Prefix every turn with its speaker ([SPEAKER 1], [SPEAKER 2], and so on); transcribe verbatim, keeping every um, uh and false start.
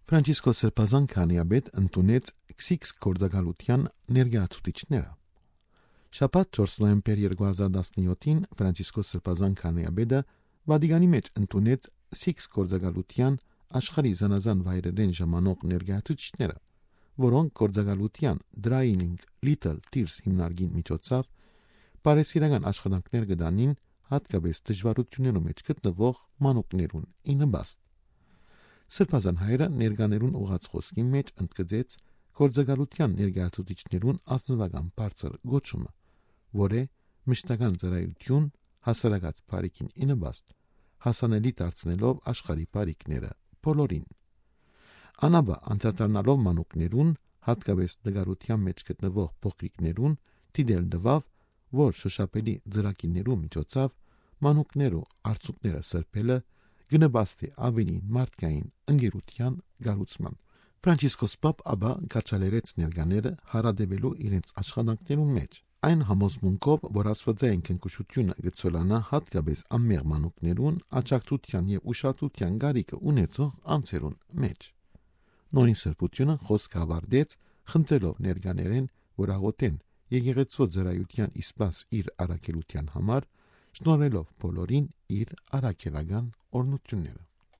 [SPEAKER 1] Ֆրանցիսկոս Սրբազան քահանայապետ ընդունեց Քսիքս գործակալության ներկայացուցիչները։ Շաբաթ չորս նոյեմբեր երկու հազար տասնյոթին Ֆրանցիսկոս Սրբազան քահանայապետը Վատիկանի մեջ ընդունեց Քսիքս գործակալության աշխարհի զանազան վայրերեն ժամանող ներկայացուցիչները, որոնք գործակալության Driving Little Tears հիմնարկի միջոցով բարեսիրական աշխատանքներ կդանին հատկապես դժվարություններում մեջ գտնվող մանուկներուն ի նպաստ։ Սրբազան հայրը ներկաներուն ուղած խոսքի մեջ ընդգծեց գործակալության ներկայացուցիչներուն ազնվական բարձր գոչումը, որ է մշտական ծառայություն հասարակած բարիքին ի նպաստ, հասանելի դարձնելով աշխարհի բարիքները բոլորին։ Անաբա անդրադառնալով մանուկներուն, հատկապես դգարության մեջ գտնվող փոքրիկներուն, դիտել տվավ, որ շոշափելի ծրագիրներու միջոցով մանուկներու արցունքները սրբելը գնաբաստի ավելի մարդկային ընկերության գառուցման։ Ֆրանցիսկոս Պապ ապա կաչալերեց ներկաները հարադեվելու իրենց աշխատանքներուն մեջ, այն համոզմունքով, որ աստվածային քնքշությունը գծոլանա հատկապես անմեղ մանուկներուն աջակցության եւ ուշադրության գարիկը ունեցող անձերուն մեջ։ Նորին սրբությունը խոսք ավարտեց, խնդրելով ներկաներեն, որ աղոթեն եկեղեցու ծառայության իսպաս իր առաքելության համար, շնորհելով բոլորին իր առաքելական օրհնությունները։